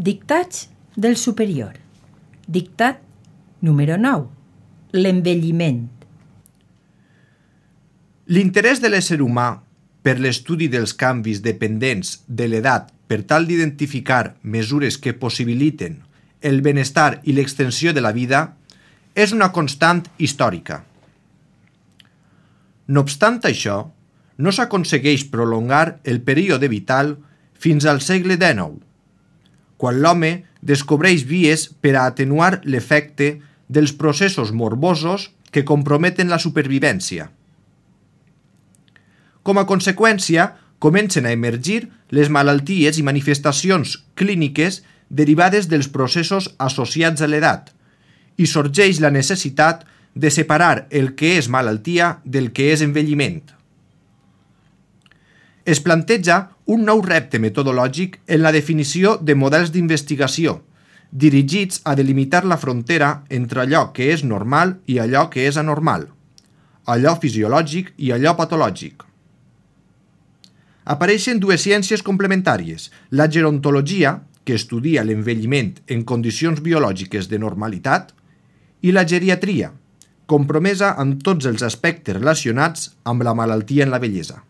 Dictats del superior. Dictat número 9. L'envelliment. L'interès de l'ésser humà per l'estudi dels canvis dependents de l'edat per tal d'identificar mesures que possibiliten el benestar i l'extensió de la vida és una constant històrica. No obstant això, no s'aconsegueix prolongar el període vital fins al segle XIX, quan l'home descobreix vies per a atenuar l'efecte dels processos morbosos que comprometen la supervivència. Com a conseqüència, comencen a emergir les malalties i manifestacions clíniques derivades dels processos associats a l'edat i sorgeix la necessitat de separar el que és malaltia del que és envelliment. Es planteja un nou repte metodològic en la definició de models d'investigació, dirigits a delimitar la frontera entre allò que és normal i allò que és anormal, allò fisiològic i allò patològic. Apareixen dues ciències complementàries, la gerontologia, que estudia l'envelliment en condicions biològiques de normalitat, i la geriatria, compromesa amb tots els aspectes relacionats amb la malaltia en la vellesa.